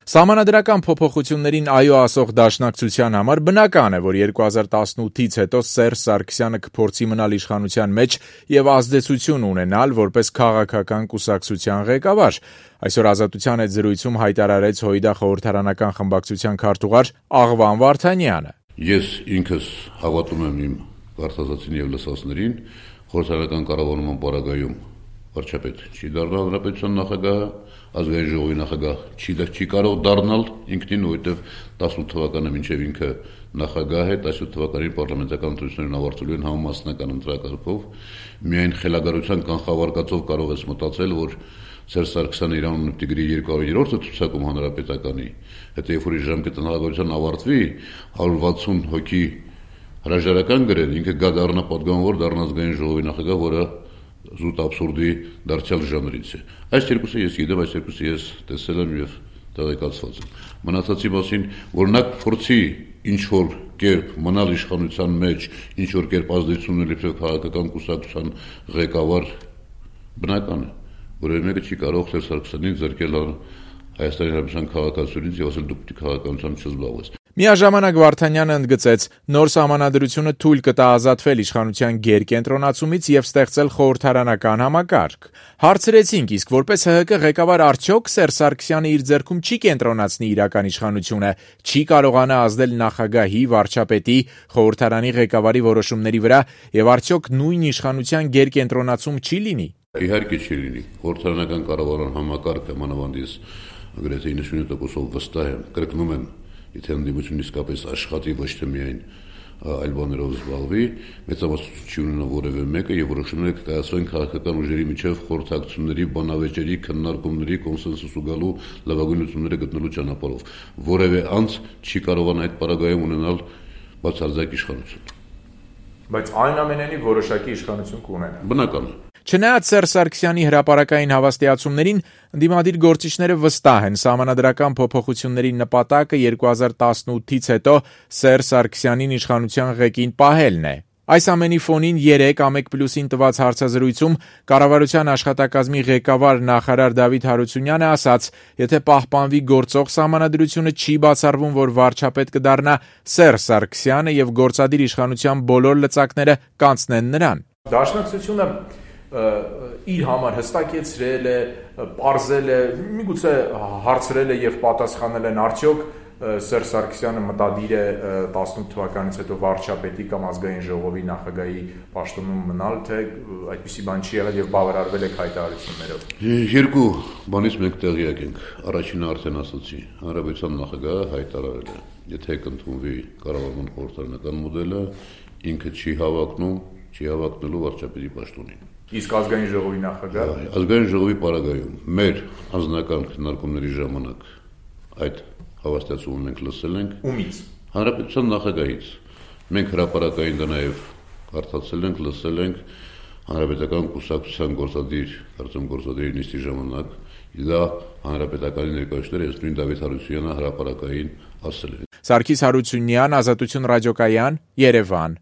Սահմանադրական փոփոխություններին այո ասող Դաշնակցության համար բնական է, որ 2018-ից հետո Սերժ Սարգսյանը կփորձի մնալ իշխանության մեջ եւ ազդեցություն ունենալ որպես քաղաքական կուսակցության ղեկավար։ Այսօր Ազատության հետ զրույցում հայտարարեց ՀՅԴ խորհրդարանական խմբակցության քարտուղար Աղվան Վարդանյանը։ Ես ինքս հավատում եմ իմ վարդազատին եւ լսածներին, խորհրդարանական կառավարման պարագայում վարչապետ չի դառնալ հանրապետության նախագահը, ազգային ժողովի նախագահ չի կարող դառնալ ինքնին, որովհետև 18 թվականը մինչև ինքը նախագահ է, 18 թվականին պարլամենտական ընտրություններն ավարտվելու են համամասնական ընտրակարգով, միայն խելագարության կանխավարկածով կարող ես մտածել, որ Սերժ Սարգսյանը իր անունը տիգրի 200-րդը ցուցակում հանրապետականի, հետո երբ որ իր ժամկետը նախագահության ավարտվի, 160 հոգի հրաժարական գրել, ինքը գա դառնա պատգամավոր, դառնա ազգային ժողովի նախագահ, որը զուտ абսուրդի դարձյալ ժանրից է։ Այս երկուսը ես գիտեմ, այս երկուսը ես տեսել եմ եւ տեղեկացված եմ։ Մնացածի մասին, որ նա փորձի ինչ որ կերպ մնալ իշխանության մեջ, ինչ որ կերպ ազդեցություն ունենալ քաղաքական կուսակցության ղեկավար, բնական է, որևէ մեկը չի կարող Սերժ Սարգսյանին զրկել Հայաստանի Հանրապետության քաղաքացիությունից եւ ասել դուք պիտի քաղաքականությամբ չզբաղվես։ Միաժամանակ Վարդանյանը ընդգծեց, նոր սահմանադրությունը թույլ կտա ազատվել իշխանության գերկենտրոնացումից եւ ստեղծել խորհրդարանական համակարգ։ Հարցրեցինք, իսկ որպես ՀՀԿ ղեկավար արդյոք Սերժ Սարգսյանը իր ձեռքում չի կենտրոնացնի իրական իշխանությունը, չի կարողանա ազդել նախագահի, վարչապետի, խորհրդարանի ղեկավարի որոշումների վրա եւ արդյոք նույն իշխանության գերկենտրոնացում չի լինի։ Իհարկե չի լինի։ Խորհրդարանական կառավարման համակարգը մանավանդից գրեթե 90%-ով վստահ եմ, կրկնում եմ, եթե ընդդիմությունը իսկապես աշխատի, ոչ թե միայն այլ բաներով զբաղվի, մեծամասնություն չի ունենա որևէ մեկը եւ որոշումները կկայացվեն քաղաքական ուժերի միջև խորհրդակցությունների, բանավեճերի, քննարկումների, կոնսենսուսու գալու լավագույն լուծումները գտնելու ճանապարհով։ Որևէ անձ չի կարողանա այդ պարագայում ունենալ բացարձակ իշխանություն։ Բայց այնուամենայնիվ որոշակի իշխանություն կունենա։ Բնական է։ Չնայած Սերժ Սարգսյանի հրապարակային հավաստիացումներին, ընդդիմադիր գործիչները վստահ են սահմանադրական փոփոխությունների նպատակը 2018-ից հետո Սերժ Սարգսյանին իշխանության ղեկին պահելն է։ Այս ամենի ֆոնին 3 1+-ին տված հարցազրույցում կառավարության աշխատակազմի ղեկավար նախարար Դավիթ Հարությունյանը ասաց, եթե պահպանվի գործող սահմանադրությունը, չի բացառվում, որ վարչապետ կդառնա Սերժ Սարգսյանը եւ գործադիր իշխանության բոլոր լծակները կանցնեն նրան։ Դաշնակցությունը իր համար հստակեցրել է, պարզել է, միգուցե հարցրել է եւ պատասխանել են արդյոք Սերժ Սարգսյանը մտադիր է 18 թվականից հետո վարչապետի կամ ազգային ժողովի նախագահի պաշտոնում մնալ, թե այդպիսի բան չի եղել եւ բավարարվել է հայտարարություններով։ Երկու բանից մենք տեղյակ ենք։ Առաջինը արդեն ասացի, հանրապետության նախագահը հայտարարել է, եթե կընդունվի կառավարման խորհրդարանական մոդելը, ինքը չի հավակնելու վարչապետի պաշտոնին։ Իսկ ազգային ժողովի նախագահ ազգային ժողովի պարագայում մեր անձնական քննարկումների ժամանակ այդ հավաստիացումը մենք լսել ենք ումից հանրապետության նախագահից մենք հրապարակային դա նաև կարդացել ենք լսել ենք հանրապետական կուսակցության գործադիր նիստի ժամանակ դա հանրապետականի ներկայացուցիչները ես նույն Դավիթ Հարությունյանը հրապարակային ասել են Սարգիս Հարությունյան, Ազատություն ռադիոկայան, Երևան։